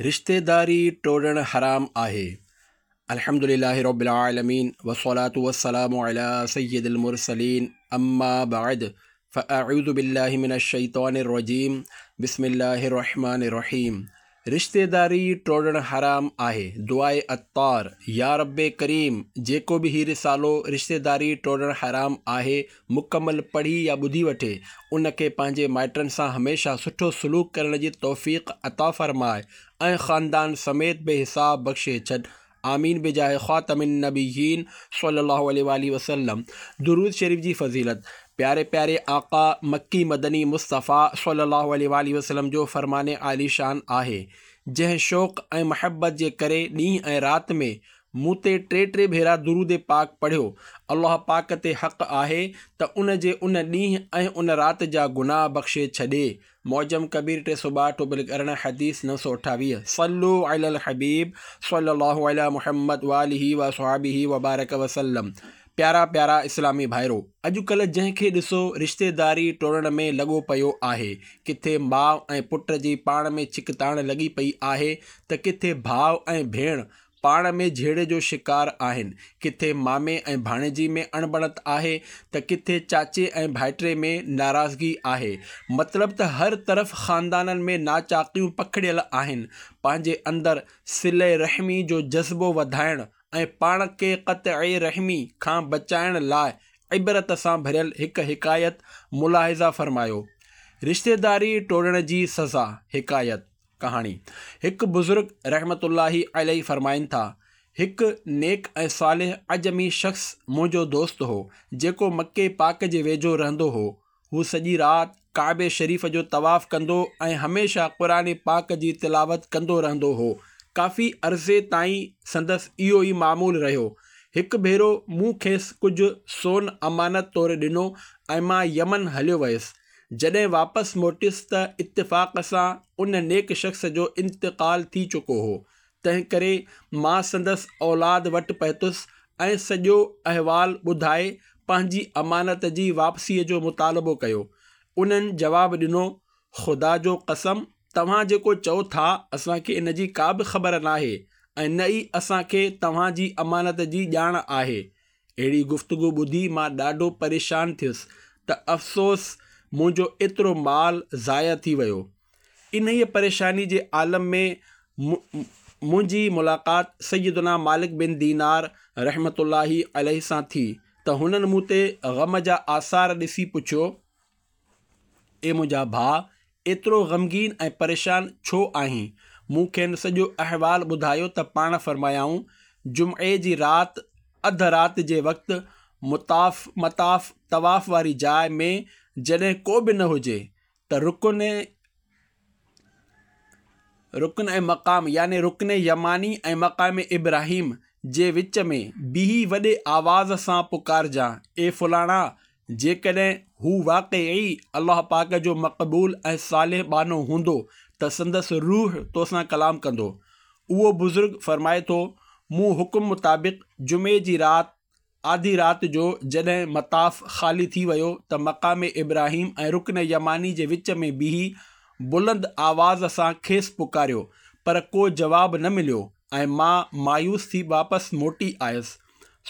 رشتيداري ٽوڙڻ حرام آهي. الحمد لله رب العالمين والصلاة والسلام علي سيد المرسلين اما بعد فاعوذ بالله من الشيطان الرجيم بسم الله الرحمن الرحيم رشتيداري ٽوڙڻ حرام آهي دعاء عطار يا رب ڪريم جيڪو به هي رسالو رشتيداري ٽوڙڻ حرام آهي مڪمل پڙهي يا ٻڌي وٺي، ان کي پنهنجي مائٽن سان هميشه سٺو سلوڪ ڪرڻ جي توفيق عطا فرماء ۽ خاندان سميت بي حساب بخشي ڇڏ. آمين بجاه خاتم النبيين صلي الله عليه واٰله وسلم درود شريف جي فضيلت پياري پياري آقا مڪي مدني مصطفيٰ صلي الله عليه واٰله وسلم جو فرمان عالي شان آهي جنهن شوق ۽ محبت جي ڪري ڏينهن ۽ رات ۾ مون تي ٽي ٽي ڀيرا درود پاڪ پڙهيو، الله پاڪ تي حق آهي ته ان جي ان ڏينهن ۽ ان رات جا گناهه بخشي ڇڏي. معجم ڪبير 362 بلڪ 18 حديث 928 صلو علی الحبيب صلي الله علی محمد واله واصحابه وبارڪ وسلم پيارا پيارا اسلامي ڀائرو! اڄڪلهه جنهن کي ڏسو رشتيداري ٽوڙڻ ۾ لڳو پيو آهي. ڪٿي ماء ۽ پٽ جي پاڻ ۾ ڇڪتاڻ لڳي پئي آهي ته ڪٿي ڀاء ۽ ڀيڻ پاڻ ۾ جهيڙي جو شڪار آهن، ڪٿي مامي ۽ ڀاڻيجي ۾ اڻبڻت آهي ته ڪٿي چاچي ۽ ڀائٽي ۾ ناراضگي آهي. مطلب ته هر طرف خاندانن ۾ ناچاقيون پکڙيل آهن. پنهنجي اندر صله رحمي جو جذبو وڌائڻ ۽ پاڻ کي قطع رحمي کان بچائڻ لاء عبرت سان ڀريل هڪ حڪايت ملاحظه فرمايو. رشتيداري ٽوڙڻ جي سزا، حڪايت. ڪهاڻي، هڪ بزرگ رحمة الله عليه فرمائن ٿا، هڪ نيڪ ۽ صالح عجمي شخص منهنجو دوست هو، جيڪو مڪي پاڪ جي ويجهو رهندو هو. هو سڄي رات ڪعبي شريف جو طواف ڪندو ۽ هميشه قرآن پاڪ جي تلاوت ڪندو رهندو هو. ڪافي عرصي تائين سندس اهو ئي معمول رهيو. هڪ ڀيرو مون کيس ڪجهه سون امانت طور ڏنو ۽ مان يمن هليو ويس. جڏهن واپس موٽيس ته اتفاق سان ان نيڪ شخص جو انتقال ٿي چڪو هو، تنهنڪري مان سندس اولاد وٽ پهتس ۽ سڄو احوال ٻڌائي پنهنجي امانت جي واپسيء جو مطالبو ڪيو. انهن جواب ڏنو، خدا جو قسم توهان جيڪو چئو ٿا اسان کي ان جي ڪا به خبر ناهي ۽ نه ئي اسان کي توهان جي امانت جي ڄاڻ آهي. اهڙي گفتگو ٻڌي مان ڏاڍو پريشان ٿيس ته افسوس منهنجو ايترو مال ضايع ٿي ويو. انهيء پريشاني جي عالم ۾ منهنجي ملاقات سيدنا مالڪ بن دينار رحمة الله عليه سان ٿي ته هنن مون تي غم جا آثار ڏسي پڇيو، اي منهنجا ڀاء! ايترو غمگين ۽ پريشان ڇو آهين؟ مون کين سڄو احوال ٻڌايو ته پاڻ فرمايائون، جمعي جي رات اڌ رات جي وقت مطاف، مطاف، طواف واري جاء، ۾ جڏهن ڪو به نه هجي ته رڪن رڪن ۽ مقام يعني رڪن يماني ۽ مقام ابراهيم جي وچ ۾ بيهي وڏي آواز سان پڪارجان، اي فلاڻا! جيڪڏهن هو واقعي الله پاڪ جو مقبول ۽ صالح ٻانهو هوندو ته سندس روح توسان ڪلام ڪندو. اهو بزرگ فرمائي ٿو، مون حڪم مطابق جمعي جي رات آڌي رات جو جڏهن مطاف خالي ٿي ويو ته مقام ابراهيم ۽ رڪن يماني جي وچ ۾ بيهي بلند آواز سان کيس پڪاريو پر ڪو جواب نه مليو ۽ مان مايوس ٿي واپس موٽي آيس.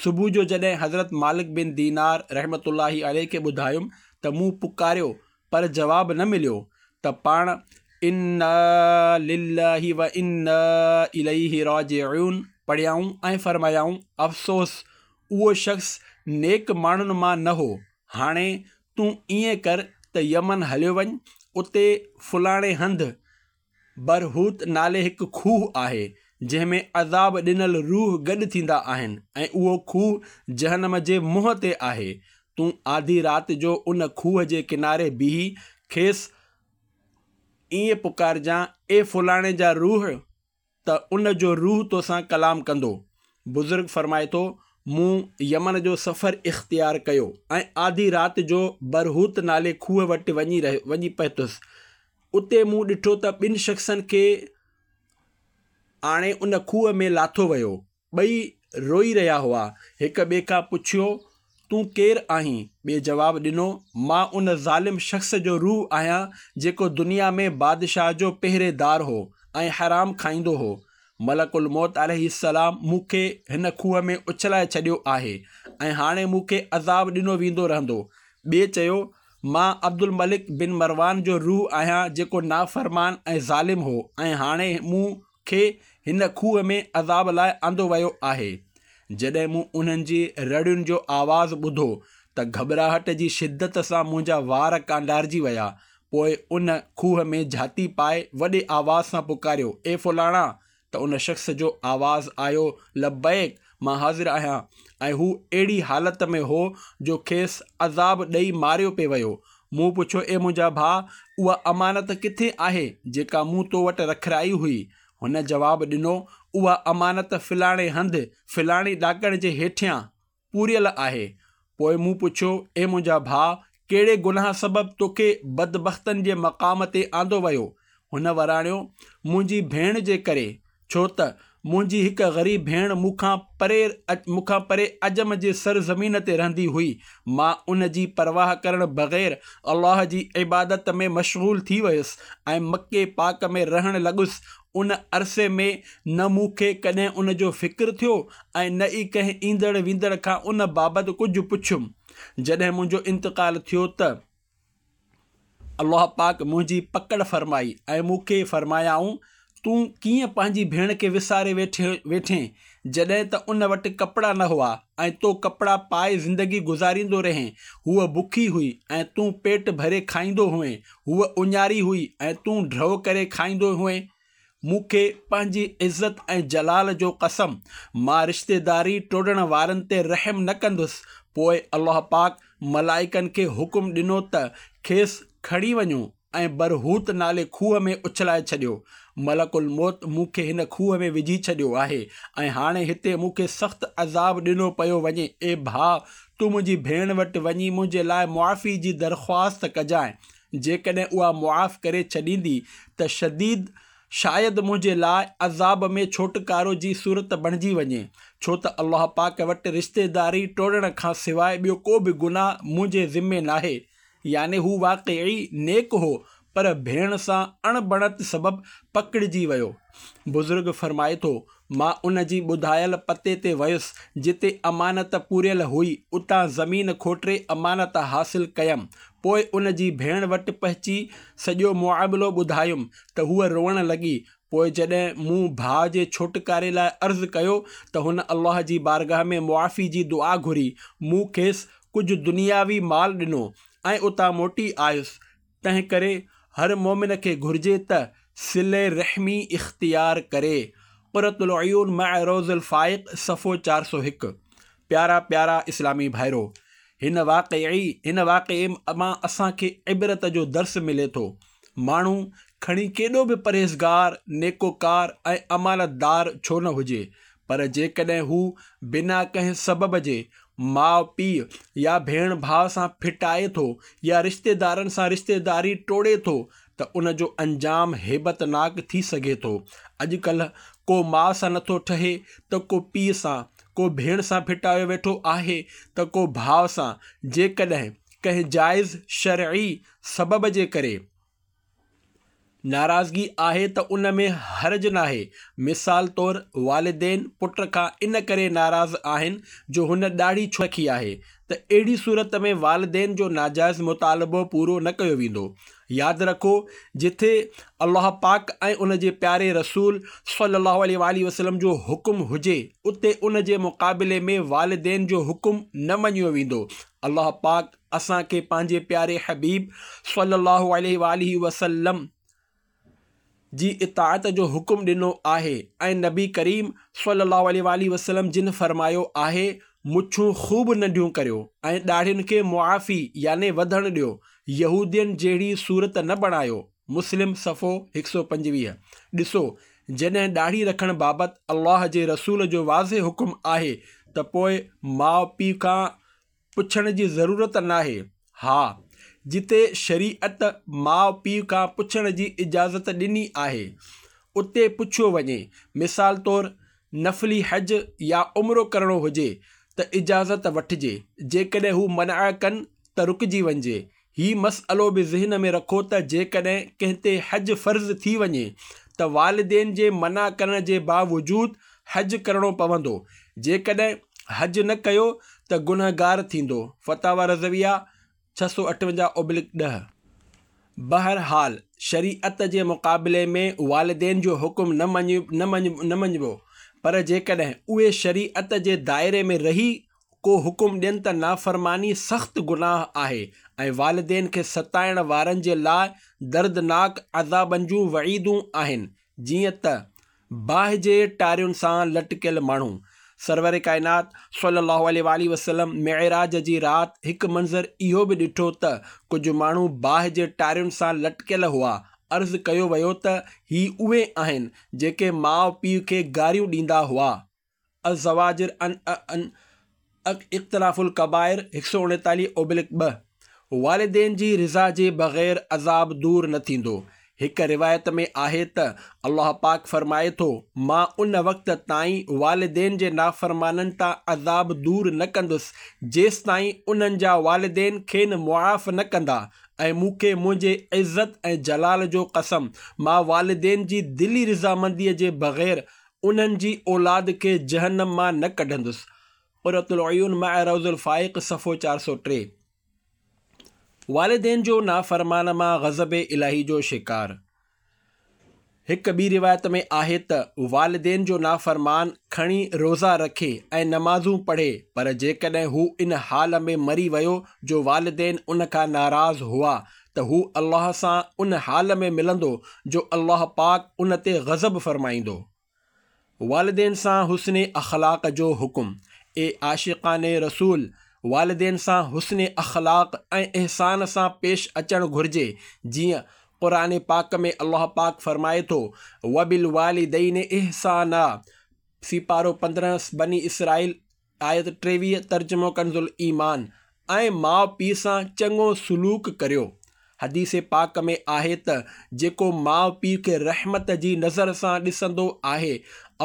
صبح جو جڏهن حضرت مالڪ بن دينار رحمة الله عليه کي ٻڌايم ته مون پڪاريو پر جواب نه مليو ته پاڻ انا لله وانا اليه راجعون پڙهيائون ۽ فرمايائون، افسوس! اهو شخص نيڪ ماڻهن مان نه هو، هاڻي تون ائين ڪر ته يمن هليو وڃ، اتي فلاڻي هنڌ برهوت نالي هڪ کوهه آهي، جنهن ۾ عذاب ڏنل روح گڏ ٿيندا آهن ۽ اهو کوهه جهنم جي منهن تي آهي، تون آڌي رات جو ان کوهه جي ڪناري بيهي کيس ائين پڪارجان، اي فلاڻي جا روح! ته ان جو روح توسان ڪلام ڪندو. بزرگ فرمائي ٿو، مون يمن جو سفر اختيار ڪيو ۽ آڌي رات جو برهوت نالي کوهه وٽ وڃي وڃي پهتس. اتي مون ڏٺو ته ٻن شخصن کي آڻي ان کوهه ۾ لاٿو ويو. ٻئي روئي رهيا هئا. هڪ ٻئي کان پڇيو، تون ڪير آهين؟ ٻئي جواب ڏنو، مان ان ظالم شخص جو روح آهيان، جيڪو دنيا ۾ بادشاهه جو پهريدار هو ۽ حرام کائيندو هو. ملڪ الموت عليه السلام مون کي هن کوهه ۾ اڇلائي ڇڏيو آهي ۽ هاڻي مون کي عذاب ڏنو ويندو رهندو. ٻئي چيو، مان عبدالملڪ بن مروان جو روح آهيان جيڪو نافرمان ۽ ظالم هو ۽ هاڻي مون کي هن کوهه ۾ عذاب لاء آندو ويو آهي. جڏهن مون انهن جي رڙين جو آواز ٻڌو ته گهٻراهٽ جي شدت سان منهنجا وار ڪانڊارجي ويا. پوء ان کوهه ۾ جهاتي پائي وڏي آواز سان پڪاريو، اي فلاڻا! ته ان شخص جو آواز آيو، لبيڪ! مان حاضر آهيان. ۽ هو اهڙي حالت ۾ هو جو کيس عذاب ڏئي ماريو پئي ويو. مون پڇيو، اي منهنجا ڀاء! اها امانت ڪٿي آهي جيڪا مون تو وٽ رکرائي هئي؟ هن جواب ڏنو، اها امانت فلاڻي هنڌ، فلاڻي ڏاڪڻ جي هيٺيان پوريل آهي. پوء مون پڇيو، اي منهنجا ڀاء! ڪهڙي گناهه سبب توکي بدبختن جي مقام تي آندو ويو؟ هن وراڻيو، منهنجي ڀيڻ جي ڪري، ڇو ته منهنجي هڪ غريب ڀيڻ مون کان پري مون کان پري عجم جي سر زمين تي رهندي هئي. مان ان جي پرواهه ڪرڻ بغير الله جي عبادت ۾ مشغول ٿي ويس ۽ مڪي پاڪ ۾ رهڻ لڳس. ان عرصي ۾ نه مون کي ڪڏهن ان جو فڪر ٿيو ۽ نه ئي ڪنهن ايندڙ ويندڙ کان ان بابت ڪجهه پڇيم. جڏهن منهنجو انتقال ٿيو ته الله پاڪ منهنجي پڪڙ فرمائي ۽ مون کي فرمايائون، تون ڪيئن پنهنجي ڀيڻ کي وساري ويٺين جڏهن ته ان وٽ ڪپڙا نه هئا ۽ تو ڪپڙا پائي زندگي گذاريندو رهين، هوء بکي هئي ۽ تون پيٽ ڀري کائيندو هئين، هوء اڃاري هئي ۽ تون ڍؤ ڪري کائيندو هئين. مون کي پنهنجي عزت ۽ جلال جو قسم، مان رشتيداري ٽوڙڻ وارن تي رحم نه ڪندس. پوء الله پاڪ ملائڪن کي حڪم ڏنو ته کيس کڻي وڃو ۽ برهوت نالي کوهه ۾ اڇلائي ڇڏيو. ملڪ الموت مون کي هن کوهه ۾ وجهي ڇڏيو آهي ۽ هاڻي هتي مون کي سخت عذاب ڏنو پيو وڃي. اي ڀاء! تون منهنجي ڀيڻ وٽ وڃي منهنجي لاء معافي جي درخواست ڪجانء. جيڪڏهن اها معاف ڪري ڇڏيندي ته شديد شايد منهنجي لاء عذاب ۾ ڇوٽڪارو جي صورت بڻجي وڃي، ڇو ته الله پاڪ وٽ رشتيداري ٽوڙڻ کان سواء ٻيو ڪو به گناهه منهنجي ذمي ناهي. يعني هو واقعي نيڪ هو پر ڀيڻ سان اڻبڻت سبب پڪڙجي ويو. بزرگ فرمائي ٿو، مان ان جي ٻڌايل پتي تي ويس، جتي امانت پوريل هئي، اتان زمين کوٽي امانت حاصل ڪيم. پوء ان جي ڀيڻ وٽ پهچي سڄو معاملو ٻڌايم ته هوء روئڻ لڳي. پوء جڏهن مون ڀاء جي ڇوٽڪاري لاء عرض ڪيو ته هن الله جي بارگاهه ۾ معافي جي دعا گهري. مون کيس ڪجهه دنياوي مال ڏنو ۽ اتان موٽي آيس. تنهنڪري هر مؤمن کي گهرجي ته صله رحمي اختيار ڪري. قرة العيون مع روض الفائق صفحو 401 پيارا پيارا اسلامي ڀائرو! هن واقعي هن واقعي مان اسان کي عبرت جو درس ملي ٿو. ماڻهو کڻي ڪيڏو به پرهيزگار، نيڪوڪار ۽ امانتدار ڇو نه هجي پر جيڪڏهن هو بنا ڪنهن سبب جي ماء پيء يا ڀيڻ ڀاء سان ڦٽائي ٿو يا رشتيدارن سان رشتيداري ٽوڙي ٿو ته ان جو انجام هيبتناڪ ٿي سگهي ٿو. اڄڪلهه ڪو ماء سان نٿو ٺهي ته ڪو پيء سان، ڪو ڀيڻ سان ڦٽايو ويٺو آهي ته ڪو ڀاء سان، جيڪڏهن ڪنهن جائز شرعي سبب جي ڪري. ناراضگي آهي ته ان ۾ حرج ناهي. مثال طور والدين پٽ کان ان ڪري ناراض آهن جو هن ڏاڙهي ڇو رکي آهي ته اهڙي صورت ۾ والدين جو ناجائز مطالبو پورو نه ڪيو ويندو. ياد رکو جٿي الله پاڪ ۽ ان جي پياري رسول صلي الله عليه واٰله وسلم جو حڪم هجي اتي ان جي مقابلي ۾ والدين جو حڪم نه مڃيو ويندو. الله پاڪ اسان کي پنهنجي پياري حبيب صلّي اللّٰه عليه واٰله وسلّم جي اطاعت جو حڪم ڏنو آهي ۽ نبي ڪريم صلّي اللّٰه عليه واٰله وسلّم جن فرمايو آهي، مڇون خوب ننڍيون ڪريو ۽ ڏاڙهين کي معافي يعني وڌڻ ڏيو، يهودين جهڙي صورت نه بڻايو، مسلم صفحو 125. ڏسو جڏهن ڏاڙهي رکڻ بابت الله جي رسول جو واضح حڪم آهي ته پوء ماء پيء کان پڇڻ جي ضرورت ناهي. ها، جتي شريعت ماء پيء کان پڇڻ جي اجازت ڏني آهي، اتي پڇيو وڃي. مثال طور نفلي حج يا عمرو ڪرڻو هجي ته اجازت وٺجي، جيڪڏهن هو منع ڪن ته رڪجي وڃجي. هي مسئلو به ذهن ۾ رکو ته جيڪڏهن ڪنهن تي حج فرض ٿي وڃي ته والدين جي منع ڪرڻ جي باوجود حج ڪرڻو پوندو، جيڪڏهن حج نه ڪيو ته گنهگار ٿيندو، فتاويٰ رضويه 658/10. بهرحال شريعت جي مقابلي ۾ والدين جو حڪم نه مڃبو، پر جيڪڏهن اهي شريعت جي دائري ۾ رهي ڪو حڪم ڏين ته نافرماني سخت گناهه آهي ۽ والدين کي ستائڻ وارن جي لاء دردناڪ عذابن جون وعيدون آهن، جيئن ته باهه جي ٽارين سان لٽڪيل ماڻهو. سرور ڪائنات صلّي اللّٰه عليه واٰله وسلّم معراج جي رات هڪ منظر اهو به ڏٺو ته ڪجهه ماڻهو باهه جي ٽارين سان لٽڪيل هئا، عرض ڪيو ويو ته هي اهي آهن جيڪي ماء پيء کي گاريون ڏيندا هئا. الزواجر عن اقتراف الڪبائر 139/2 والدين جي رضا جي بغير عذاب دور نه ٿيندو. هڪ روايت ۾ آهي ته الله پاڪ فرمائي ٿو، مان ان وقت تائين والدين جي نافرمانن تان عذاب دور نه ڪندس جيستائين انهن جا والدين کين معاف نه ڪندا ۽ مون کي منهنجي عزت ۽ جلال جو قسم مان والدين جي دلي رضامندي جي بغير انهن جي اولاد کي جهنم مان نه ڪڍندس. قرة العيون مع روض الفائق صفحو 403. والدين جو نافرمان مان غضب الاهي جو شڪار. هڪ ٻي روايت ۾ آهي ته والدين جو نافرمان کڻي روزا رکي ۽ نمازون پڙهي پر جيڪڏهن هو ان حال ۾ مري ويو جو والدين ان کان ناراض هئا ته هو الله سان ان حال ۾ ملندو جو الله پاڪ ان تي غضب فرمائيندو. والدين سان حسن اخلاق جو حڪم، اي عاشقان رسول! والدين سان حسن اخلاق ۽ احسان سان پيش اچڻ گهرجي، جيئن قرآن پاڪ ۾ الله پاڪ فرمائي ٿو، وبالوالدين احسانا، سيپارو 15 بني اسرائيل آيت 23 ترجمو ڪنزالايمان، ۽ ماء پيء سان چڱو سلوڪ ڪريو. حديث پاڪ ۾ آهي ته جيڪو ماء پيء کي رحمت جي نظر سان ڏسندو آهي،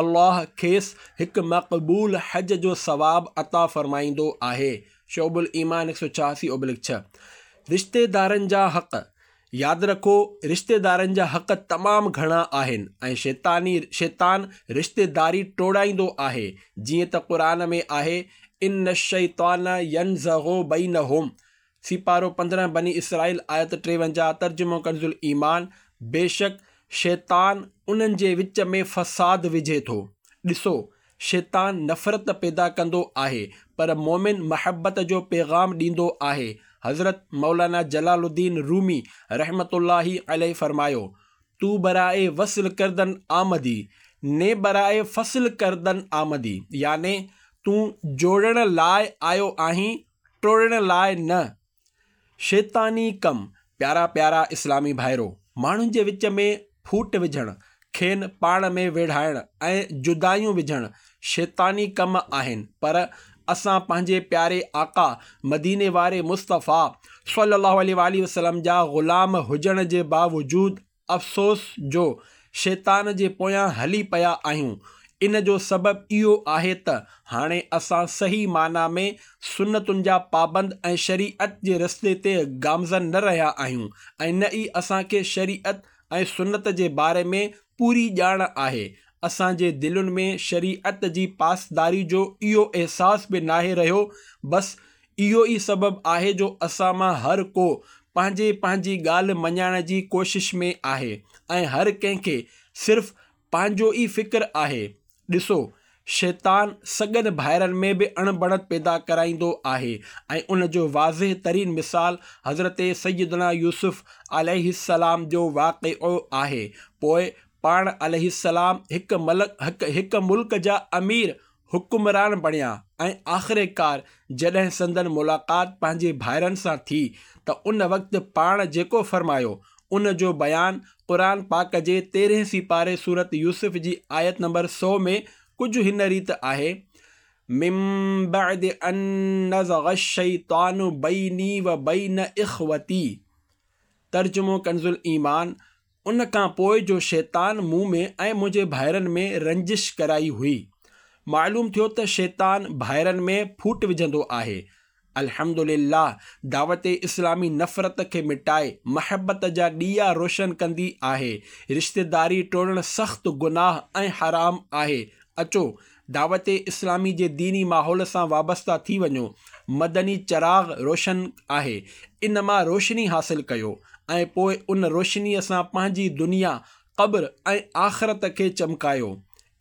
الله کيس هڪ مقبول حج جو ثواب عطا فرمائيندو آهي. شعب الايمان 186/6. رشتيدارن جا حق، ياد رکو رشتيدارن جا حق تمام گهڻا آهن ۽ شيطاني شيطان رشتيداري ٽوڙائيندو آهي جيئن ته قرآن ۾ آهي ان الشيطان ينزغ بينهم سيپارو 15 بني اسرائيل آيت 53 ترجمو ڪنز الايمان بيشڪ شيطان انهن جي وچ ۾ فساد وجهي ٿو ڏسو شيطان نفرت پيدا ڪندو آهي پر مؤمن محبت جو پيغام ڏيندو آهي. حضرت مولانا جلال الدين رومي رحمة الله عليه فرمايو، تو برائي وصل ڪردن آمدي، ني برائي فصل ڪردن آمدي يعني تون جوڙڻ لاء آيو آهين، ٽوڙڻ لاء نه. شيطاني ڪم، پيارا پيارا اسلامي ڀائرو! ماڻهن جي وچ ۾ ڦوٽ وجهڻ، کين پاڻ ۾ ويڙهائڻ ۽ جدايون وجهڻ شيطاني ڪم آهن پر اسان پنهنجي پياري آقا، مديني واري مصطفيٰ صلّي اللّٰه عليه واٰله وسلّم جا غلام هجڻ جي باوجود افسوس جو شيطان جي پويان هلي پيا آهيون. ان جو سبب اهو آهي ته هاڻي اسان صحيح معنيٰ ۾ سنتن جا پابند ۽ شريعت جي رستي تي گامزن نه رهيا آهيون ۽ نه ئي اسان کي شريعت ۽ سنت جي باري ۾ پوري ڄاڻ آهي. اسان جي دلين ۾ شريعت جي پاسداري جو اهو احساس به ناهي رهيو بس اهو ئي سبب آهي جو اسان مان هر ڪو پنهنجي پنهنجي ڳالهه مڃائڻ جي ڪوشش ۾ آهي ۽ هر ڪنهن کي صرف پنهنجو ئي فڪر آهي. ڏسو! شيطان سڳن ڀائرن ۾ به اڻبڻت پيدا ڪرائيندو آهي ۽ ان جو واضح ترين مثال حضرت سيدنا يوسف عليه السلام جو واقعو آهي. پوء پاڻ عليه السلام هڪ ملڪ جا امير حڪمران بڻيا ۽ آخرڪار جڏهن سندن ملاقات پنهنجي ڀائرن سان ٿي ته ان وقت پاڻ جيڪو فرمايو ان جو بيان قرآن پاڪ جي تيرهين سيپاري سورت يوسف جي آيت نمبر 100 ۾ ڪجهه هن ريت آهي، من بعد ان نزغ الشيطان بيني وبين اخوتي ترجمو ڪنزالايمان، ان کان پوء جو شيطان مون ۾ ۽ منهنجي ڀائرن ۾ رنجش ڪرائي هئي. معلوم ٿيو ته شيطان ڀائرن ۾ ڦوٽ وجهندو آهي الحمد لله دعوت اسلامي نفرت کي مٽائي محبت جا ڏيئا روشن ڪندي آهي. رشتيداري ٽوڙڻ سخت گناهه ۽ حرام آهي. اچو دعوت اسلامي جي ديني ماحول سان وابسته ٿي وڃو. مدني چراغ روشن آهي ان مان روشني حاصل ڪيو ۽ پوء ان روشنيء سان پنهنجي دنيا، قبر ۽ آخرت کي چمڪايو.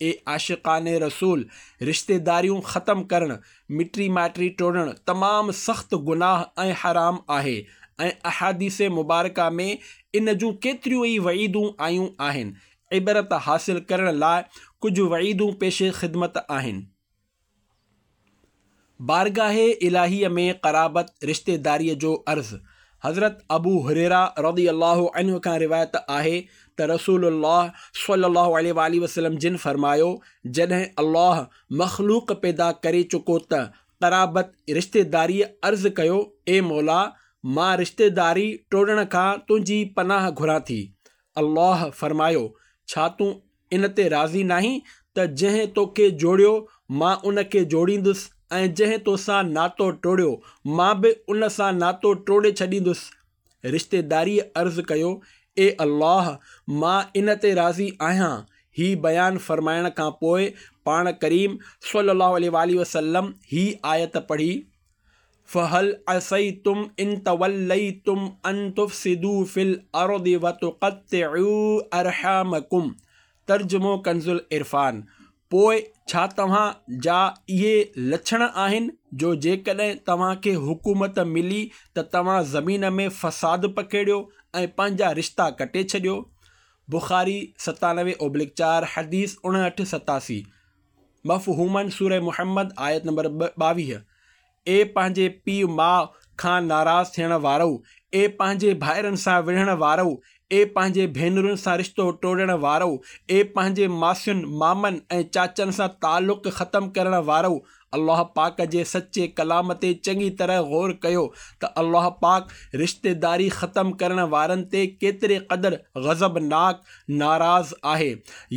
اي عاشقان رسول! رشتيداريون ختم ڪرڻ، مٽي مائٽي ٽوڙڻ تمام سخت گناهه ۽ حرام آهي ۽ احاديث مبارڪه ۾ ان جون ڪيتريون ئي وعيدون آيون آهن. عبرت حاصل ڪرڻ لاء ڪجهه وعيدون پيش خدمت آهن. بارگاهه الاهيء ۾ قرابت، رشتيداريء، جو عرض، حضرت ابو هريره رضي الله عنه کان روايت آهي ته رسول الله صلي الله عليه واٰله وسلم جن فرمايو، جڏهن الله مخلوق پيدا ڪري چڪو ته قرابت، رشتيداريء، عرض ڪيو، اي مولا! مان رشتيداري ٽوڙڻ کان تنهنجي پناهه گهران ٿي. الله فرمايو، ڇا تون ان تي راضي ناهين ته جنهن توکي جوڙيو مان ان کي جوڙيندس ۽ جنهن توسان ناتو ٽوڙيو مان به ان سان ناتو ٽوڙي ڇڏيندس؟ رشتيداريء عرض ڪيو، اي الله! مان ان تي راضي آهيان. هي بيان فرمائڻ کان پوء پاڻ ڪريم صلّي اللّٰه عليه واٰله وسلّم هي آيت پڙهي. فهل عسيتم ان توليتم ان تفسدوا في الارض وتقطعوا ارحامڪم ترجمو ڪنزالعرفان، پوء ڇا توهان جا اهي لڇڻ آهن جو جيڪڏهن توهان کي حڪومت ملي ته توهان زمين ۾ فساد پکيڙيو ۽ پنهنجا رشتا ڪٽي ڇڏيو؟ بخاري 97 اوبلڪ 4 حديث 59 87. مفهوماً سوره محمد آيت نمبر 22، اي پنهنجي پيء ماء کان ناراض ٿيڻ وارؤ! اي پنهنجي ڀائرن سان وڙهڻ وارؤ! اي پنهنجي ڀينرن سان رشتو ٽوڙڻ وارؤ! اي پنهنجي ماسين، مامن ۽ چاچن سان تعلق ختم ڪرڻ وارؤ! الله پاڪ جي سچي ڪلام تي چڱي طرح غور ڪيو ته الله پاڪ رشتيداري ختم ڪرڻ وارن تي ڪيتري قدر غضبناڪ، ناراض، آهي.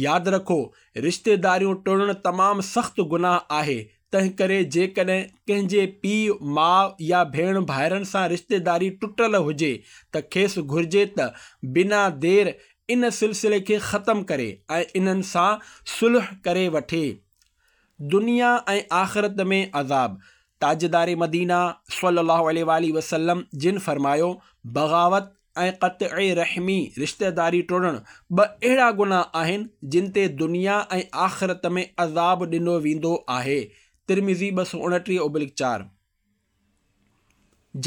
ياد رکو! رشتيداريون ٽوڙڻ تمام سخت گناهه آهي، تنهنڪري جيڪڏهن ڪنهن جي پيء، ماء يا ڀيڻ ڀائرن سان رشتيداري ٽٽل هجي ته کيس گهرجي ته بنا دير ان سلسلي کي ختم ڪري ۽ انهن سان صلح ڪري وٺي. دنيا ۽ آخرت ۾ عذاب، تاجدار مدينه صلي الله عليه واٰله وسلم جن فرمايو، بغاوت ۽ قطع رحمي، رشتيداري ٽوڙڻ، ٻه اهڙا گناهه آهن جن تي دنيا ۽ آخرت ۾ عذاب ڏنو ويندو آهي، ترمذي 229 اوبلڪ 4.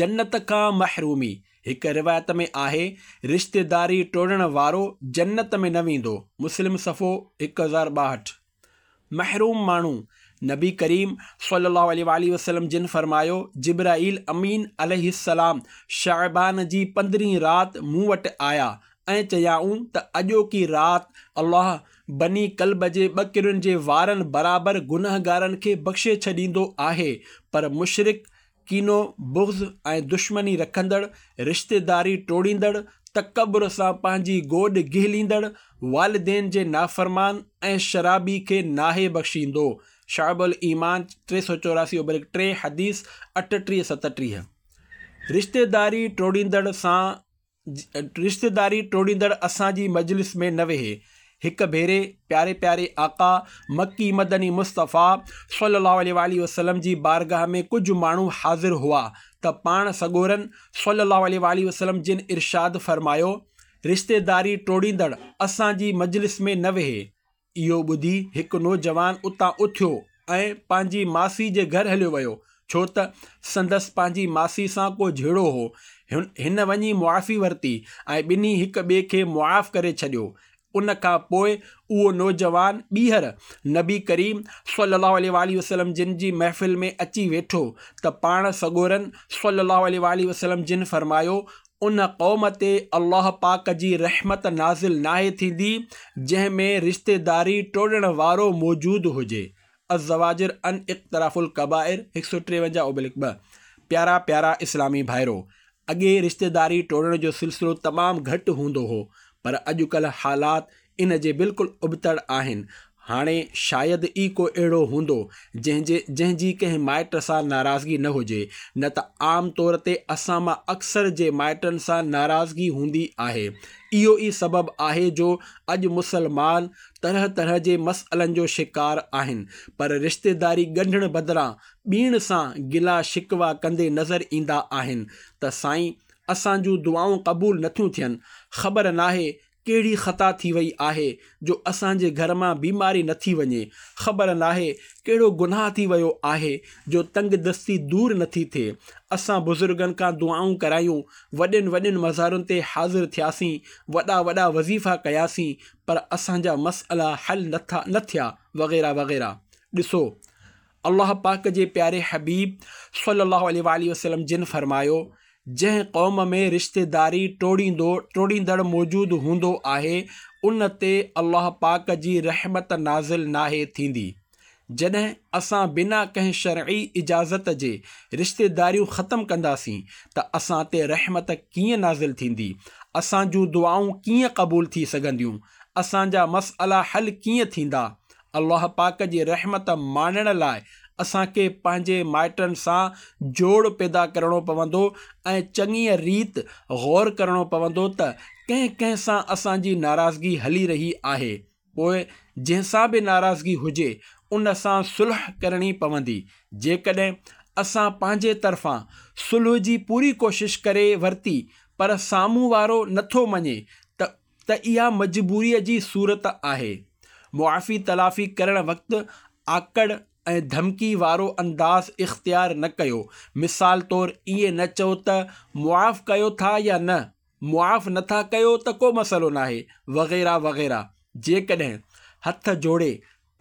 جنت کان محرومي، هڪ روايت ۾ آهي، رشتيداري ٽوڙڻ وارو جنت ۾ نه ويندو، مسلم صفحو 1062. محروم ماڻهو، نبي ڪريم صلّي اللّٰه عليه واٰله وسلّم جن فرمايو، جبرائيل امين عليه السّلام شعبان جي پندرهين رات مون وٽ آيا ۽ چيائون ته اڄوڪي رات الله بني ڪلب جي ٻڪرين جي وارن برابر گنهگارن کي بخشي ڇڏيندو آهي پر مشرڪ ڪينو، بغض ۽ دشمني رکندڙ، رشتيداري ٽوڙيندڙ، تڪبر سان پنهنجي گوڏ گهليندڙ، والدين جي نافرمان ۽ شرابي کي ناهي بخشيندو. شعب الايمان 384 اوبلڪ 3 حديث 38 37. رشتيداري ٽوڙيندڙ سان رشتيداري ٽوڙيندڙ اسان جي مجلس ۾ نه ويهي. هڪ ڀيري پياري پياري آقا، مڪي مدني مصطفيٰ صلّي اللّٰه عليه واٰله وسلّم جي بارگاھ ۾ ڪجھ ماڻهو حاضر هئا ته پاڻ سڳورن صلّي اللّٰه عليه واٰله وسلّم جن ارشاد فرمايو، رشتيداري ٽوڙيندڙ اسان جي مجلس ۾ نه ويهي. اهو ٻڌي هڪ نوجوان اتان اٿيو ۽ پنهنجي ماسي جي گهر هليو ويو، ڇو ته سندس پنهنجي ماسي سان ڪو جهيڙو هو. هن وڃي معافي ورتي ۽ ٻنهي هڪ ٻئي کي معاف ڪري ڇڏيو. ان کان پوء اهو نوجوان ٻيهر نبي ڪريم صلي الله عليه واٰله وسلم جن جي محفل ۾ اچي ويٺو ته پاڻ سڳورن صلي الله عليه واٰله وسلم جن فرمايو، ان قوم تي الله پاڪ جي رحمت نازل ناهي ٿيندي جنهن ۾ رشتيداري ٽوڙڻ وارو موجود هجي. الزواجر عن اقتراف الڪبائر 153 اوبلڪ 2 پيارا پيارا اسلامي ڀائرو! اڳي رشتيداري ٽوڙڻ جو سلسلو تمام گهٽ هوندو هو پر اڄڪلهه حالات ان جي بلڪل ابتڙ آهن. هاڻي شايد ئي ڪو اهڙو هوندو جنهن جي جنهن جي ڪنهن مائٽ سان ناراضگي نه هجي، نه ته عام طور تي اسان مان اڪثر جي مائٽن سان ناراضگي هوندي آهي. اهو ئي سبب آهي جو اڄ مسلمان طرح طرح جي مسئلن جو شڪار آهن، پر رشتيداري ڳنڍڻ بدران ٻيڻ سان گلا شڪوا ڪندي نظر ايندا آهن ته سائين اسان جون دعائون قبول نٿيون ٿين، خبر ناهي ڪهڙي خطا ٿي وئي آهي جو اسان جي گهر مان بيماري نه ٿي وڃي، خبر ناهي ڪهڙو گناهه ٿي ويو آهي جو تنگ دستي دور نه ٿي ٿئي. اسان بزرگن کان دعائون ڪرايون، وڏين وڏين مزارن تي حاضر ٿياسين، وڏا وڏا وظيفا ڪياسين پر اسان جا مسئلا حل نه ٿيا وغيره وغيره. ڏسو! الله پاڪ جي پياري حبيب صلّي الله عليه واٰله وسلّم جن فرمايو، جنهن قوم ۾ رشتيداري ٽوڙيندو ٽوڙيندڙ موجود هوندو آهي ان تي الله پاڪ جي رحمت نازل ناهي ٿيندي. جڏهن اسان بنا ڪنهن شرعي اجازت جي رشتيداريون ختم ڪنداسين ته اسان تي رحمت ڪيئن نازل ٿيندي؟ اسان جون دعائون ڪيئن قبول ٿي سگهنديون؟ اسان جا مسئلا حل ڪيئن ٿيندا؟ الله پاڪ جي رحمت ماڻڻ لاء اسان کي پنهنجي مائٽن سان جوڙ پيدا ڪرڻو پوندو ۽ چڱيء ريت غور ڪرڻو پوندو ته ڪنهن ڪنهن سان اسان جي ناراضگي هلي رهي آهي. پوء جنهن سان به ناراضگي هجي ان سان صلح ڪرڻي پوندي. جيڪڏهن اسان پنهنجي طرفان صلح جي پوري ڪوشش ڪري ورتي پر سامهون وارو نٿو مڃي ته ته اها مجبوريء جي صورت آهي. معافي تلافي ڪرڻ وقت آڪڙ ۽ ڌمڪي وارو انداز اختيار نه ڪيو. مثال طور ائين نه چئو ته معاف ڪيو ٿا يا نه، معاف نه ٿا ڪيو ته ڪو مسئلو ناهي وغيره وغيره. جيڪڏهن هٿ جوڙي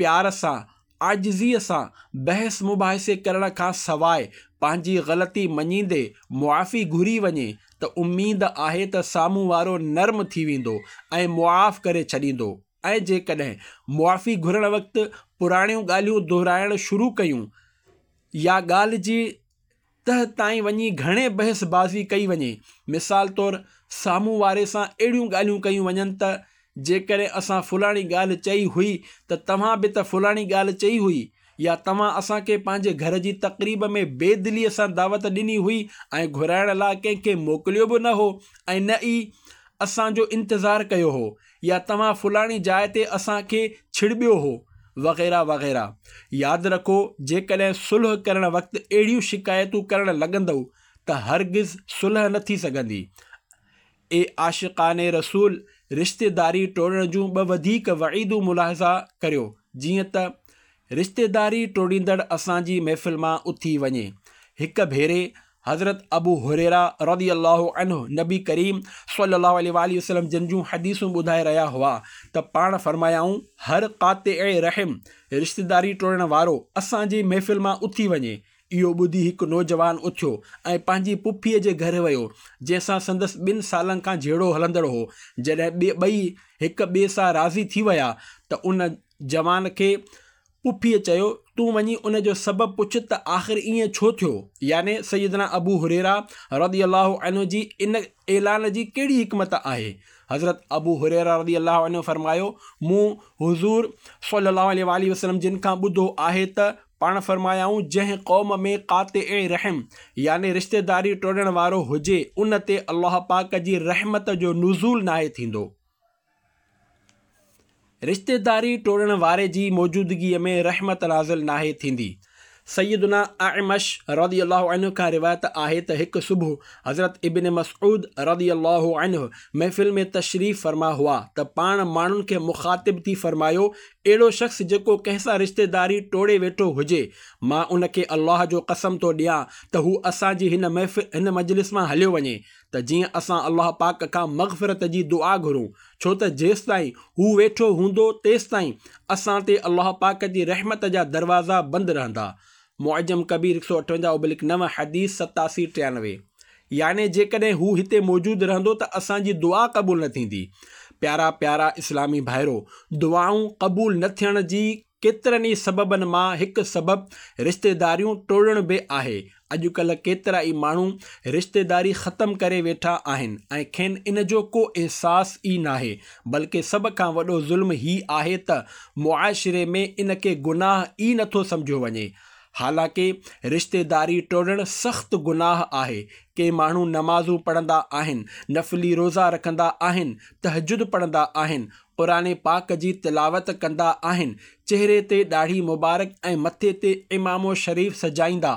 پيار سان، عاجزيء سان بحث مباحثي ڪرڻ کان سواء پنهنجي غلطي مڃيندي معافي گهري وڃي ته اميد آهي ته سامهون وارو نرم ٿي ويندو ۽ معاف ڪري ڇڏيندو ۽ جيڪڏهن معافي گهرڻ وقت پراڻيون ڳالهيون دهرائڻ شروع ڪيون يا ڳالهه جي تهه تائين وڃي گهڻي بحث بازي ڪئي وڃي. مثال طور سامهون واري سان اهڙيون ڳالهيون ڪيون وڃن ته جيڪڏهن اسان فلاڻي ڳالهه چئي هئي ته توهان به ته فلاڻي ڳالهه چئي هئي يا توهان اسان کي پنهنجي گهر جي تقريب ۾ بي دليء سان دعوت ڏني هئي ۽ گهرائڻ لاء ڪنهن کي موڪليو به نه هو ۽ نه ئي اسان جو انتظار ڪيو هو يا توهان فلاڻي جاء تي اسان کي ڇڙٻيو هو، وغيره وغيره. ياد رکو جيڪڏهن صلح ڪرڻ وقت اهڙيون شڪايتون ڪرڻ لڳندؤ ته هرگز صلح نه ٿي سگهندي. اي عاشقان رسول! رشتيداري ٽوڙڻ جون ٻه وڌيڪ وعيدون ملاحظه ڪريو، جيئن ته، رشتيداري ٽوڙيندڙ اسان جي محفل مان اٿي وڃي. هڪ ڀيري حضرت ابو هريره رضي الله عنه نبي ڪريم صلي الله عليه واٰله وسلم جن جون حديثون ٻڌائي رهيا هئا ته پاڻ فرمايائون، هر قاطع رحم، رشتيداري ٽوڙڻ وارو، اسان جي محفل مان اٿي وڃي. اهو ٻڌي هڪ نوجوان اٿيو ۽ پنهنجي پڦيء جي گهر ويو، جنهن سان سندس ٻن سالن کان جهيڙو هلندڙ هو. جڏهن ٻئي هڪ ٻئي سان راضي ٿي ويا ته ان جوان کي پڦيء چيو، تون وڃي ان جو سبب پڇ ته آخر ائين ڇو ٿيو؟ يعني سيدنا ابو هريره رضي الله عنه جي ان اعلان جي ڪهڙي حڪمت آهي؟ حضرت ابو هريره رضي الله عنه فرمايو، مون حضور صلي الله عليه واٰله وسلم جن کان ٻڌو آهي ته پاڻ فرمايائون، جنهن قوم ۾ قاطع رحم يعني رشتيداري ٽوڙڻ وارو هجي ان تي الله پاڪ جي رحمت جو نزول ناهي ٿيندو. رشتيداري ٽوڙڻ واري جي موجودگيء ۾ رحمت نازل ناهي ٿيندي. سيدنا اعمش رضي الله عنه کان روايت آهي ته هڪ صبح حضرت ابن مسعود رضي الله عنه محفل ۾ تشريف فرما هئا ته پاڻ ماڻهن کي مخاطب ٿي فرمايو، اهڙو شخص جيڪو ڪنهن سان رشتيداري ٽوڙي ويٺو هجي، مان ان کي الله جو قسم ٿو ڏيان ته هو اسان جي هن محفل هن مجلس مان هليو وڃي ته جيئن اسان الله پاڪ کان مغفرت جي دعا گهرون، ڇو ته جيستائين هو ويٺو هوندو تيستائين اسان تي الله پاڪ جي رحمت جا دروازا بند رهندا. معجم ڪبير 158/9 حديث 87 93 يعني جيڪڏهن هو هتي موجود رهندو ته اسان جي دعا قبول نه ٿيندي. پيارا پيارا اسلامي ڀائرو! دعائون قبول نه ٿيڻ جي. ڪيترن ئي سببن مان هڪ سبب رشتيداريون ٽوڙڻ به آهي. اڄڪلهه ڪيترا ئي ماڻهو رشتيداري ختم ڪري ويٺا آهن ۽ کين ان جو ڪو احساس ئي ناهي. بلڪه سڀ کان وڏو ظلم هي آهي ته معاشري ۾ ان کي گناهه ئي نٿو سمجهيو وڃي. حالانڪه رشتيداري ٽوڙڻ سخت گناهه آهي. ڪي ماڻهو نمازون پڙهندا آهن، نفلي روزا رکندا آهن، تهجد پڙهندا آهن، قرآن پاڪ جي تلاوت ڪندا آهن، چهري تي ڏاڙهي مبارڪ ۽ مٿي تي عمامو شريف سجائيندا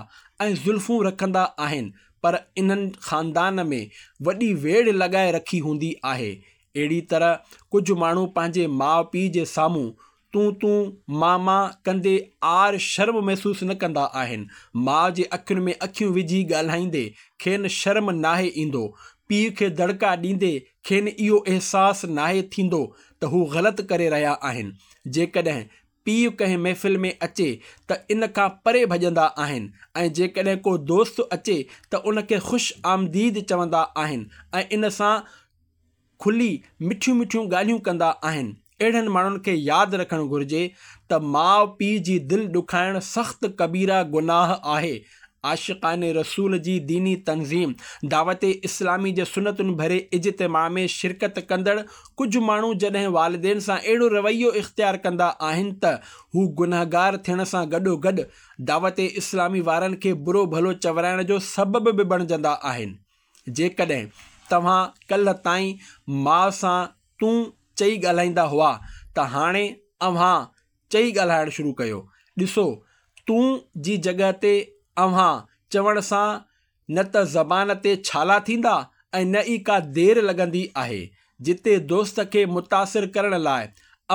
۽ زلفون رکندا آهن پر انهن خاندان ۾ وڏي ويڙهه لڳائي رکي هوندي آهي. اهڙي طرح ڪجهه ماڻهو پنهنجي ماء پيء جي سامهون تون تون مان مان ڪندي عار شرم محسوس نه ڪندا آهن. ماء جي اکين ۾ اکيون وجهي ڳالهائيندي کين شرم ناهي ايندو. پيء کي دڙڪا ڏيندي کين اهو احساس ناهي ٿيندو ته هو غلط ڪري رهيا آهن. جيڪڏهن پيء ڪنهن محفل ۾ اچي ته ان کان پري ڀڄندا آهن ۽ جيڪڏهن ڪو دوست اچي ته ان کي خوش آمديد چوندا آهن ۽ ان سان کلي مٺيون مٺيون ڳالهيون ڪندا آهن. اهڙن ماڻهن کي ياد رکڻ گهرجي ته ماء پيء جي دل ڏکائڻ سخت ڪبيره گناهه آهي. عاشقان رسول جي ديني تنظيم دعوت اسلامي جي سنتن ڀري اجتماع ۾ شرڪت ڪندڙ ڪجهه ماڻهو جڏهن والدين سان اهڙو رويو اختيار ڪندا آهن ته هو گنهگار ٿيڻ سان گڏوگڏ دعوت اسلامي وارن کي برو ڀلو چورائڻ جو سبب به بڻجندا آهن. جيڪڏهن توهان ڪلهه تائين ماء سان تون چئي ڳالهائيندا هئا ته هاڻي اوهان چئي ڳالهائڻ شروع ڪيو. ڏسو، تون جي جڳهه تي اوهان چوڻ سان نه ته زبان تي ڇالا ٿيندا ۽ نه ئي ڪا دير لڳندي آهي. جتي دوست کي متاثر ڪرڻ لاء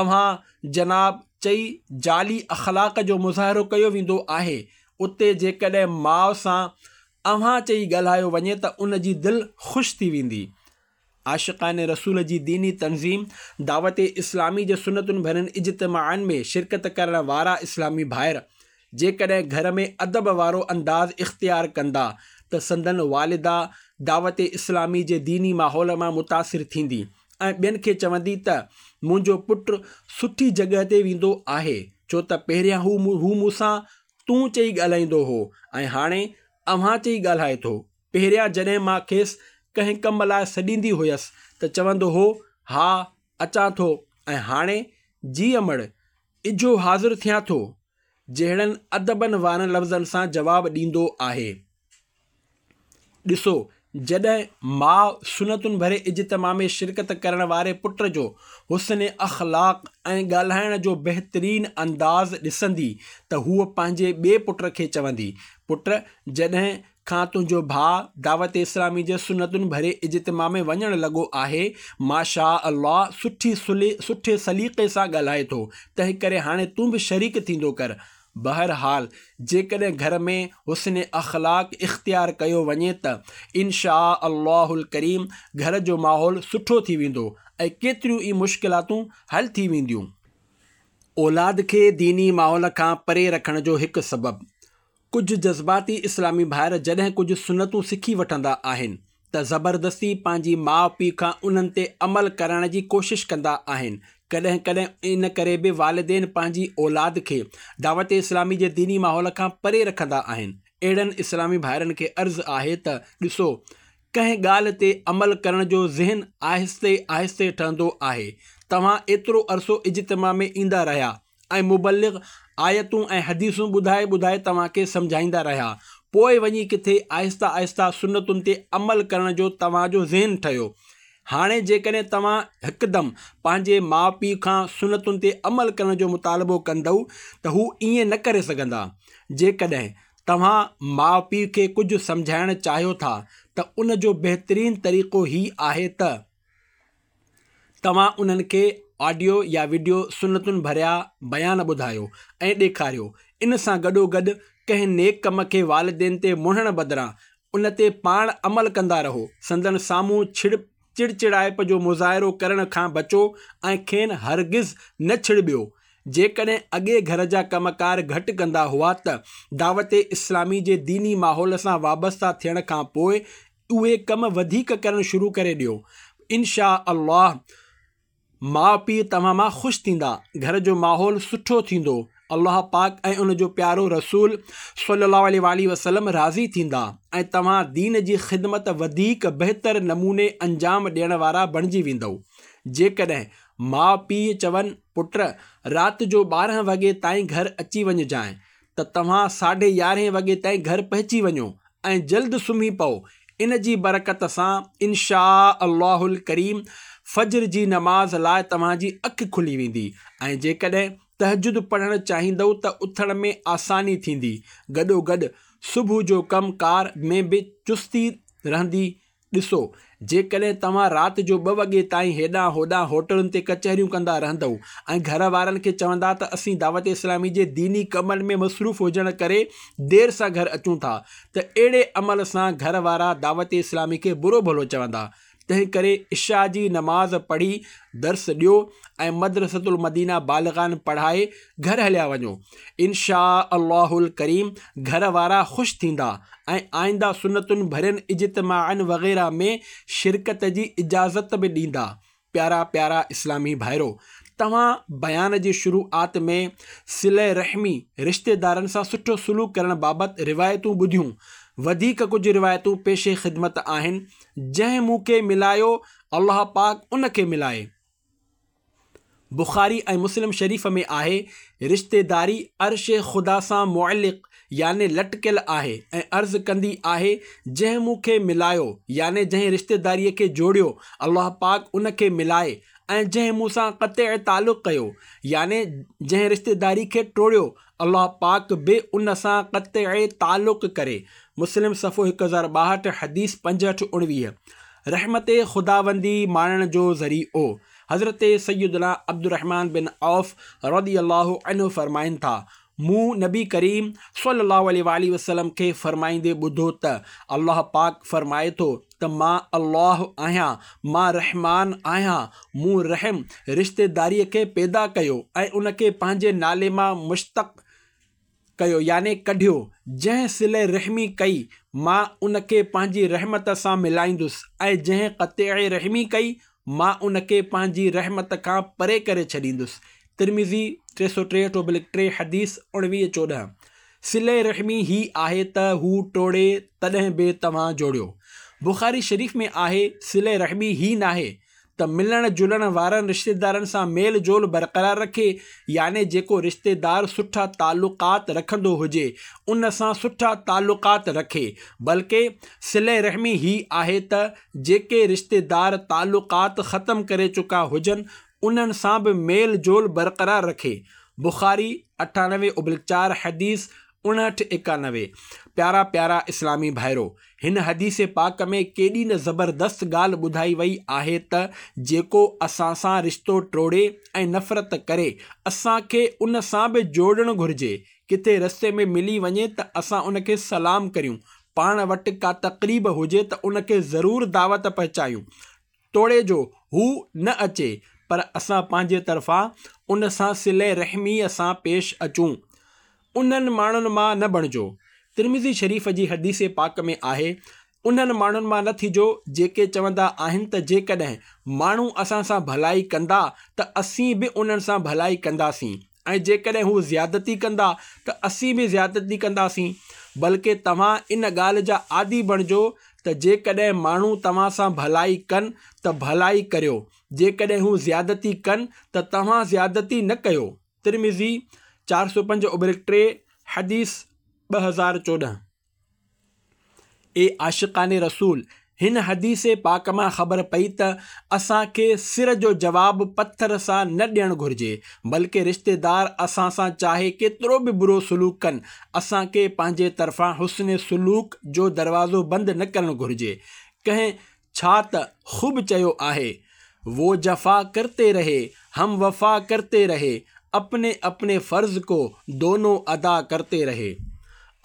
اوهان جناب چئي جعلي اخلاق جو مظاهرو ڪيو ويندو آهي، اتي جيڪڏهن ماء سان اوهان چئي ڳالهايو وڃي ته ان جي دل خوش ٿي ويندي. عاشقان رسول جي ديني تنظيم دعوت اسلامي جي سنتن ڀرين اجتماعن ۾ شرڪت ڪرڻ وارا اسلامي ڀائر جيڪڏهن گهر ۾ ادب وارو انداز اختيار ڪندا ته سندن والده دعوت اسلامي جي ديني ماحول مان متاثر ٿيندي ۽ ٻين کي چوندي ته منهنجو پٽ سٺي جڳهه تي ويندو آهي ڇو ته پهريان هو مون سان تون چئي ڳالهائيندو هو ۽ هاڻي اوهان چئي ڳالهائي ٿو. پهريان جڏهن مان کيس ڪنهن ڪم لاء سڏيندي هيس ته چوندو هو، ها اچان ٿو ۽ هاڻي جي امڙ، اجهو حاضر ٿيان ٿو. جهڙن ادبن وارن لفظن سان جواب ڏيندو آهي. ڏسو، جڏهن ماء سنتن ڀري اجتماع ۾ شرڪت ڪرڻ واري پٽ جو حسن اخلاق ۽ ڳالهائڻ جو بهترين انداز ڏسندي ته هوء پنهنجي ٻئي پٽ کي چوندي، پٽ! جڏهن کان تنهنجو ڀاء دعوت اسلامي جي سنتن ڀري اجتماع ۾ وڃڻ لڳو آهي، ماشاء الله سٺي سٺي سليقي سان ڳالهائي ٿو، تنهنڪري هاڻي تون به شريڪ ٿيندو ڪر. بهرحال جيڪڏهن گهر ۾ حسن اخلاق اختيار ڪيو وڃي ته ان شآء الله الڪريم گهر جو ماحول سٺو ٿي ويندو ۽ ڪيتريون ئي مشڪلاتون حل ٿي وينديون. اولاد کي ديني ماحول کان پري رکڻ جو هڪ سبب ڪجهه جذباتي اسلامي ڀائر جڏهن ڪجهه سنتون سکي وٺندا آهن ته زبردستي پنهنجي ماء پيء کان انهن تي عمل ڪرائڻ جي ڪوشش ڪندا آهن. ڪڏهن ڪڏهن ان ڪري به والدين پنهنجي اولاد کي دعوت اسلامي جي ديني ماحول کان پري رکندا آهن. اهڙن اسلامي ڀائرن کي عرض آهي ته ڏسو! ڪنهن ڳالهه تي عمل ڪرڻ جو ذهن آهستي آهستي ٺهندو آهي. توهان ايترو عرصو اجتماع ۾ ايندا رهيا ۽ مبلغ آيتون ۽ حديثون ٻڌائي ٻڌائي توهان کي سمجهائيندا رهيا، پوء وڃي ڪٿي آهسته آهسته سنتن تي عمل ڪرڻ جو توهان جو ذهن ٺهيو. هاڻي جيڪڏهن توهان هڪدم پنهنجي ماء پيء کان سنتن تي عمل ڪرڻ جو مطالبو ڪندؤ ته هو ائين نه ڪري سگهندا. جيڪڏهن توهان ماء پيء کي ڪجهه سمجهائڻ چاهيو ٿا ته ان جو بهترين طريقو هي آهي ته. توهان انهن کي آڊيو يا وڊيو سنتن ڀريا بيان ٻڌايو ۽ ڏيکاريو. ان سان گڏوگڏ ڪنهن نيڪ ڪم کي والدين تي مڙهڻ بدران ان تي پاڻ عمل ڪندا رهو. سندن سامهون چڙچڙائپ جو مظاهرو ڪرڻ کان بچو ۽ کين هرگز نه ڇڙٻيو. جيڪڏهن اڳي گهر جا ڪم ڪار گهٽ ڪندا هئا ته دعوت اسلامي جي ديني ماحول سان وابسته ٿيڻ کان پوء اهي ڪم وڌيڪ ڪرڻ شروع ڪري ڏيو ان شآء الله ماء پيء توهان مان خوش ٿيندا، گهر جو ماحول سٺو ٿيندو الله پاڪ ۽ ان جو پيارو رسول صلي الله عليه واٰله وسلم راضي ٿيندا ۽ توهان دين جي خدمت وڌيڪ بهتر نموني انجام ڏيڻ وارا بڻجي ويندؤ. جيڪڏهن ماء پيء چون، پٽ! رات جو 12 وڳي تائين گهر اچي وڃجانء ته توهان ساڍي يارهين وڳي تائين گهر پهچي وڃو ۽ جلد سمهي پئو، ان جي برڪت سان ان شآء الله الڪريم فجر جي نماز لاء توهان جي اک کلي ويندي ۽ جيڪڏهن تهجد پڙهڻ چاهيندؤ ته اٿڻ ۾ آساني ٿيندي، گڏوگڏ صبح جو ڪم ڪار ۾ به چستي رهندي. ڏسو، جيڪڏهن توهان رات جو ٻه وڳي تائين هيڏانهن هوڏانهن هوٽلن تي ڪچهريون ڪندا رهندؤ ۽ گهر وارن کي چوندا ته اسين دعوت اسلامي جي ديني ڪمن ۾ مصروف هجڻ ڪري دير سان گهر اچون ٿا ته اهڙي عمل سان گهر وارا دعوت اسلامي کي برو ڀلو چوندا. تنهن ڪري عشاء جي نماز پڙهي درس ڏيو ۽ مدرسة المدينه بالغان پڙهائي گهر هليا وڃو. ان شآء الله الڪريم گهر وارا خوش ٿيندا ۽ آئنده سنتن ڀرين اجتماعن وغيره ۾ شرڪت جي اجازت به ڏيندا. پيارا پيارا اسلامي ڀائرو! توهان بيان جي شروعات ۾ صله رحمي، رشتيدارن سان سٺو سلوڪ ڪرڻ بابت روايتون ٻڌيون. وڌيڪ ڪجهه روايتون پيش خدمت آهن. جنهن مون کي ملايو الله پاڪ ان کي ملائي. بخاري ۽ مسلم شريف ۾ آهي، رشتيداري عرش خدا سان معلق يعني لٽڪيل آهي ۽ عرض ڪندي آهي، جنهن مون کي ملايو يعني جنهن رشتيداريء کي جوڙيو الله پاڪ ان کي ملائي ۽ جنهن مون سان قطع تعلق ڪيو يعني جنهن رشتيداري کي ٽوڙيو الله پاڪ به ان سان قطع تعلق ڪري، مسلم صفحو 1062 حديث 65 19. رحمت خداوندي ماڻڻ جو ذريعو، حضرت سيدنا عبدالرحمان بن عوف رضي الله عنه فرمائن ٿا، مون نبي ڪريم صلي الله عليه واٰله وسلم کي فرمائيندي ٻڌو ته الله پاڪ فرمائي ٿو ته مان الله آهيان، مان رحمان آهيان، مون رحم، رشتيداريء، کي پيدا ڪيو ۽ ان کي پنهنجي نالي مان مشتق ڪيو يعني ڪڍيو، جنهن صله رحمي ڪئي مان ان کي پنهنجي رحمت سان ملائيندس ۽ جنهن قطع رحمي ڪئي مان ان کي پنهنجي رحمت کان پري ڪري ڇڏيندس. ترمذي، 363/3 حديث 19 14. صله رحمي هي آهي ته هو ٽوڙي تڏهن به توهان جوڙيو. بخاري شريف ۾ آهي، صله رحمي هي ناهي ته ملڻ جلڻ وارن رشتيدارن سان ميل جول برقرار رکي يعني جيڪو رشتيدار سٺا تعلقات رکندو هجي ان سان سٺا تعلقات رکي بلڪه صله رحمي هي آهي ته جيڪي رشتيدار تعلقات ختم ڪري چڪا هجن انهن سان به ميل جول برقرار رکي. بخاري، 98/4 حديث 59 91. پيارا پيارا اسلامي ڀائرو! هن حديث پاڪ ۾ ڪيڏي نه زبردست ڳالهه ٻڌائي وئي آهي ته جيڪو اسان سان رشتو ٽوڙي ۽ نفرت ڪري اسان کي ان سان به جوڙڻ گهرجي ڪٿي رستي ۾ ملي وڃي ته اسان ان کي سلام ڪريون پاڻ وٽ ڪا تقريب هجي ته ان کي ضرور دعوت پهچايون توڙي جو هو نه اچي پر اسان پنهنجي طرفان ان سان صله رحميء سان پيش اچون. انهن ماڻهن مان نه بڻجو. ترمذي شريف جي حديث پاڪ ۾ آهي، انهن ماڻهن مان نه ٿجو جيڪي چوندا آهن ته جيڪڏهن ماڻهو اسان سان ڀلائي ڪندا ته اسين به انهن سان ڀلائي ڪنداسين ۽ جيڪڏهن هو زيادتي ڪندا ته اسين به زيادتي ڪنداسين بلڪه توهان ان ڳالهه جا عادي بڻجو ته جيڪڏهن ماڻهو توهان سان ڀلائي ڪن ته ڀلائي ڪريو، جيڪڏهن هو زيادتي ڪن ته توهان زيادتي نه ڪيو. ترمذي، 405/3، حديث 2014. اي عاشقان رسول! هن حديث پاڪ مان خبر پئي ته اسان کي سر جو جواب پٿر سان نه ڏيڻ گهرجي، بلڪه رشتيدار اسان سان چاهي ڪيترو به برو سلوڪ ڪن، اسان کي پنهنجي طرفان حسن سلوڪ جو دروازو بند نه ڪرڻ گهرجي. ڪنهن ڇا ته خوب چيو آهي، وو جفا ڪرتي رهي، هم وفا ڪرتي رهي، اپني اپني فرض ڪو دونون ادا ڪرتي رهي.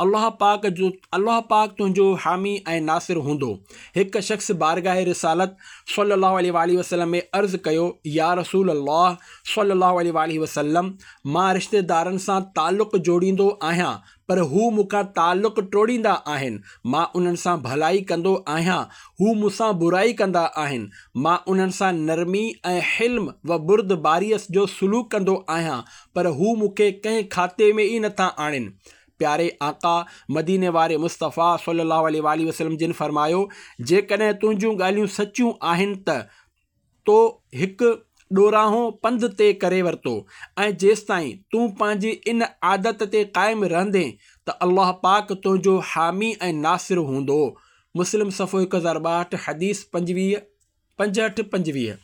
الله پاڪ جو الله پاڪ تنهنجو حامي ۽ ناصر هوندو. هڪ شخص بارگاھ رسالت صلّي الله عليه واٰله وسلّم ۾ عرض ڪيو، يا رسول الله صلّي الله عليه واٰله وسلّم! مان رشتيدارن سان تعلق جوڙيندو آهيان پر هو مون کان تعلق ٽوڙيندا آهن، مان انهن سان ڀلائي ڪندو آهيان، هو مون سان برائي ڪندا آهن، مان انهن سان نرمي ۽ حلم و بردباريء جو سلوڪ ڪندو آهيان پر هو مون کي ڪنهن کاتي ۾ ئي نٿا آڻين. پياري آقا، مديني واري مصطفيٰ صلّي اللّٰه عليه واٰله وسلّم جن فرمايو، جيڪڏهن تنهنجون ڳالهيون سچيون آهن ته تو هڪ ڏورانهون پنڌ طئي ڪري ورتو ۽ جيستائين تون پنهنجي ان عادت تي قائم رهندين ته الله پاڪ تنهنجو حامي ۽ ناصر هوندو. مسلم صفحو 1062 حديث 25. 65 25.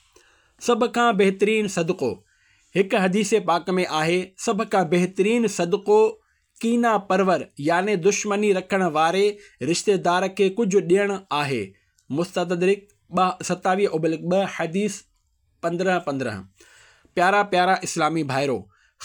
سڀ کان بهترين صدقو، هڪ حديث پاڪ ۾ آهي، سڀ کان بهترين صدقو ڪينه پرور يعني دشمني رکڻ واري رشتيدار کي ڪجهه ڏيڻ آهي، مستدرڪ 27 ابلڪ 2 حديث 15 15. پيارا پيارا اسلامي ڀائرو!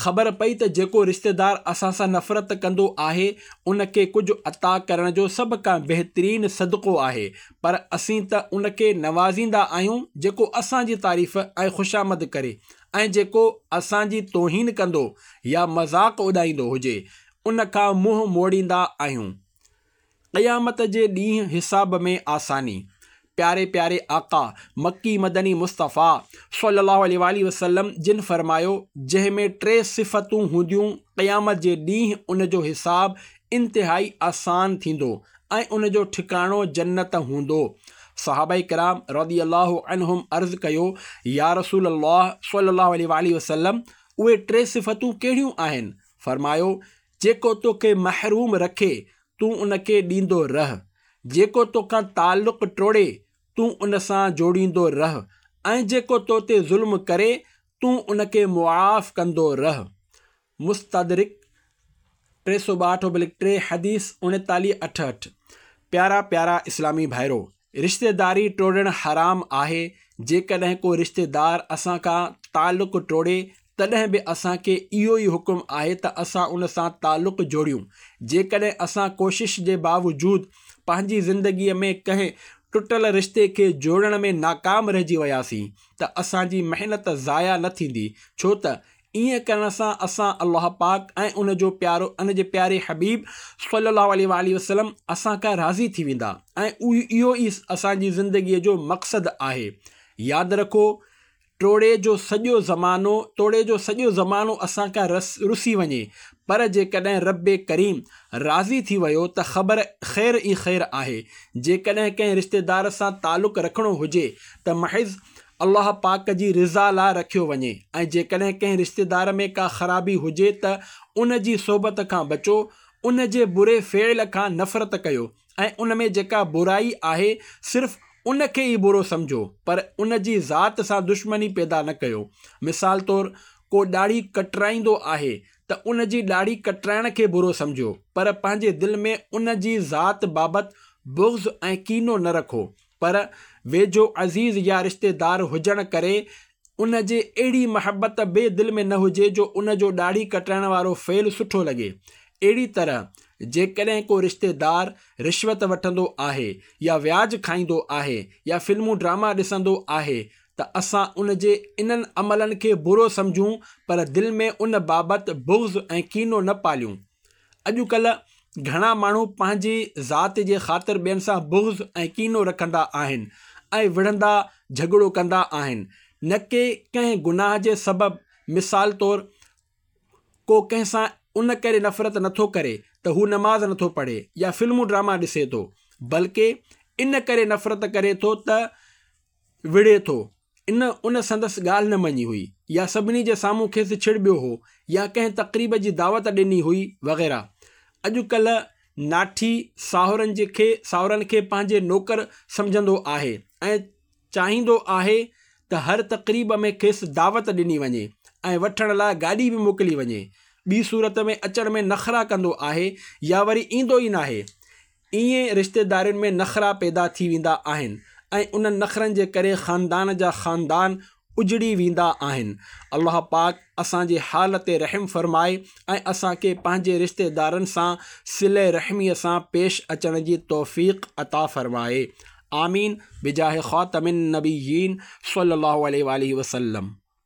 خبر پئي ته جيڪو رشتيدار اسان سان نفرت ڪندو آهي ان کي ڪجهه عطا ڪرڻ جو سڀ کان بهترين صدقو آهي پر اسين ته ان کي نوازيندا آهيون جيڪو اسان جي تعريف ۽ خوشامد ڪري ۽ جيڪو اسان جي توهين ڪندو يا مذاق اڏائيندو هجي ان کان منهن موڙيندا آهيون. قيامت جي ڏينهن حساب ۾ آساني. پياري پياري آقا، مڪي مدني مصطفيٰ صلّي اللّٰه عليه واٰله وسلّم جن فرمايو، جنهن ۾ ٽي صفتون هونديون قيامت جي ڏينهن ان جو حساب انتهائي آسان ٿيندو ۽ ان جو ٺڪاڻو جنت هوندو. صحابه ڪرام رضي الله عنهم عرض ڪيو، يارسول الله صلّي اللّٰه عليه واٰله وسلّم اهي ٽي صفتون ڪهڙيون آهن؟ فرمايو، جيڪو توکي محروم رکي، تون ان کي ڏيندو رهه. جيڪو توکان تعلق ٽوڙي، تون ان سان جوڙيندو رهه ۽ جيڪو تو تي ظلم ڪري، تون ان کي معاف ڪندو رهه. مستدرڪ 362 ٽي حديث 39 68 پيارا پيارا اسلامي ڀائرو! رشتيداري ٽوڙڻ حرام آهي، جيڪڏهن ڪو رشتيدار اسان کان تعلق ٽوڙي تڏهن به اسان کي اهو ئي حڪم آهي ته اسان ان سان تعلق جوڙيون، جيڪڏهن اسان ڪوشش جي باوجود پنهنجي زندگي ۾ ڪنهن ٽٽل رشتي کي جوڙڻ ۾ ناڪام رهجي وياسين ته اسان جي محنت ضايع نه ٿيندي ڇو ته ائين ڪرڻ سان اسان الله پاڪ ۽ ان جو پيارو ان جي پياري حبيب صلي الله عليه واٰله وسلم اسان کان راضي ٿي ويندا ۽ اهو ئي اسان جي زندگي جو مقصد آهي. ياد رکو ٽوڙي جو سڄو زمانو توڙي جو سڄو زمانو اسان کان رس رسي وڃي پر جيڪڏهن رب ڪريم راضي ٿي ويو ته خبر خير ئي خير آهي. جيڪڏهن ڪنهن رشتيدار سان تعلق رکڻو هجي ته محض الله پاڪ جي رضا لاء رکيو وڃي ۽ جيڪڏهن ڪنهن رشتيدار ۾ ڪا خرابي هجي ته ان جي صحبت کان بچو، ان جي بري فعل کان نفرت ڪيو ۽ ان ۾ جيڪا برائي آهي صرف ان کي ئي برو سمجهو پر ان جي ذات سان دشمني پيدا نه ڪيو. مثال طور ڪو ڏاڙهي ڪٽرائيندو آهي ته ان جي ڏاڙهي ڪٽرائڻ کي برو سمجهو پر پنهنجي دل ۾ ان جي ذات بابت بغض ۽ ڪينو نه رکو پر ويجهو عزيز يا رشتيدار هجڻ ڪري ان جي اهڙي محبت به دل ۾ نه هجي جو ان جو ڏاڙهي ڪٽرائڻ وارو فعل سٺو لڳي. اهڙي طرح جيڪڏهن ڪو رشتيدار رشوت وٺندو آهي يا وياج کائيندو آهي يا فلمون ڊراما ڏسندو آهي ته اسان ان جي انهن عملن کي برو سمجهون پر دل ۾ ان بابت بغض ۽ ڪينو نه پاليون. اڄڪلهه گهڻا ماڻهو پنهنجي ذات جي خاطر ٻين سان بغض ۽ ڪينو رکندا آهن ۽ وڙهندا جهڳڙو ڪندا آهن نه ڪي ڪنهن گناهه جي سبب مثال طور ڪو ڪنهن سان ان ڪري نفرت نٿو ڪري ته هو نماز نٿو پڙهي يا فلمون ڊراما ڏسي ٿو بلڪه ان ڪري نفرت ڪري ٿو ته وڙهي ٿو. ان ان سندس ڳالهه نه مڃي هئي يا سڀني جي سامهون کيس ڇڙٻيو هو يا ڪنهن تقريب جي دعوت ڏني هئي وغيره. اڄ ڪلهه ناٺي ساهرن جي کي ساهرن کي پنهنجي نوڪر سمجهندو آهي ۽ چاهيندو آهي ته هر تقريب ۾ کيس دعوت ڏني وڃي ۽ وٺڻ لاء گاڏي به موڪلي وڃي. ٻي صورت ۾ اچڻ ۾ نخرا ڪندو آهي يا وري ايندو ئي ناهي. ائين رشتيدارين ۾ نخرا پيدا ٿي ويندا آهن ۽ انهن نخرن جي ڪري خاندان جا خاندان اجڙي ويندا آهن. الله پاڪ اسان جي حال تي رحم فرمائي ۽ اسان کي پنهنجي رشتيدارن سان صله رحميء سان پيش اچڻ جي توفيق عطا فرمائي. آمين بجاه خاتم النبيين صلي الله عليه واله وسلم.